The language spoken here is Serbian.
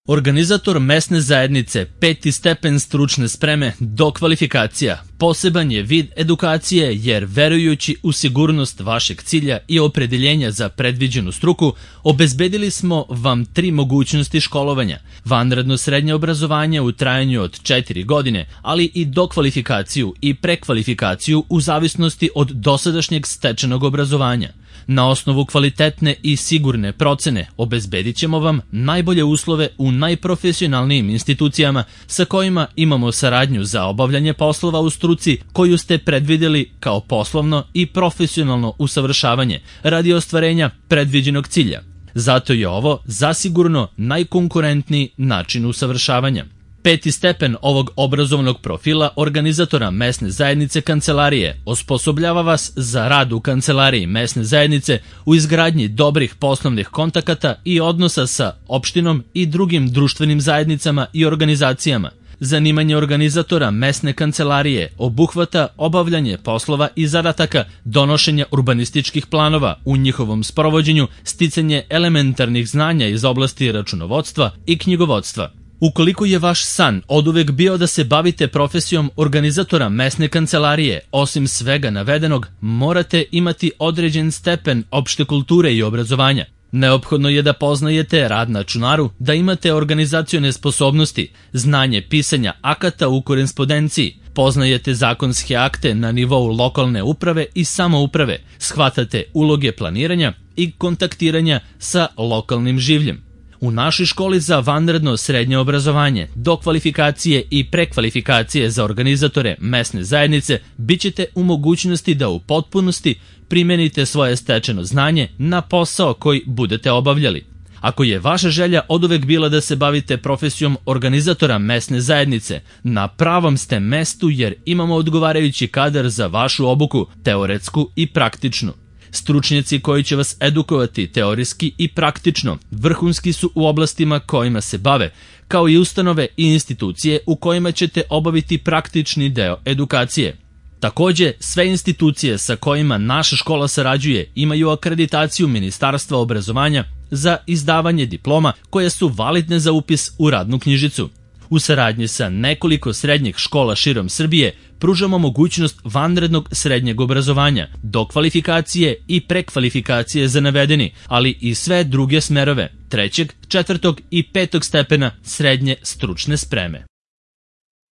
Organizator mesne zajednice 5. stepen stručne spreme dokvalifikacija poseban je vid edukacije jer verujući u sigurnost vašeg cilja i opredeljenja za predviđenu struku, obezbedili smo vam 3 mogućnosti školovanja: vanredno srednje obrazovanje u trajanju od 4 godine, ali i dokvalifikaciju i prekvalifikaciju u zavisnosti od dosadašnjeg stečenog obrazovanja. Na osnovu kvalitetne i sigurne procene obezbedit ćemo vam najbolje uslove u najprofesionalnijim institucijama sa kojima imamo saradnju za obavljanje poslova u struci koju ste predvideli kao poslovno i profesionalno usavršavanje radi ostvarenja predviđenog cilja. Zato je ovo zasigurno najkonkurentniji način usavršavanja. 5. stepen ovog obrazovnog profila organizatora mesne zajednice kancelarije osposobljava vas za rad u kancelariji mesne zajednice u izgradnji dobrih poslovnih kontakata i odnosa sa opštinom i drugim društvenim zajednicama i organizacijama. Zanimanje organizatora mesne kancelarije obuhvata obavljanje poslova i zadataka, donošenja urbanističkih planova, u njihovom sprovođenju sticanje elementarnih znanja iz oblasti računovodstva i knjigovodstva. Ukoliko je vaš san oduvek bio da se bavite profesijom organizatora mesne kancelarije, osim svega navedenog, morate imati određen stepen opšte kulture i obrazovanja. Neophodno je da poznajete rad na računaru, da imate organizacione sposobnosti, znanje pisanja akata u korespondenciji, poznajete zakonske akte na nivou lokalne uprave i samouprave, shvatate uloge planiranja i kontaktiranja sa lokalnim življem. U našoj školi za vanredno srednje obrazovanje, dokvalifikacije i prekvalifikacije za organizatore mesne zajednice bit ćete u mogućnosti da u potpunosti primenite svoje stečeno znanje na posao koji budete obavljali. Ako je vaša želja oduvek bila da se bavite profesijom organizatora mesne zajednice, na pravom ste mestu jer imamo odgovarajući kadar za vašu obuku, teoretsku i praktičnu. Stručnjaci koji će vas edukovati teorijski i praktično vrhunski su u oblastima kojima se bave, kao i ustanove i institucije u kojima ćete obaviti praktični deo edukacije. Takođe, sve institucije sa kojima naša škola sarađuje imaju akreditaciju Ministarstva obrazovanja za izdavanje diploma koje su validne za upis u radnu knjižicu. U saradnji sa nekoliko srednjih škola širom Srbije pružamo mogućnost vanrednog srednjeg obrazovanja, dokvalifikacije i prekvalifikacije za navedeni, ali i sve druge smerove 3., 4. i 5. stepena srednje stručne spreme.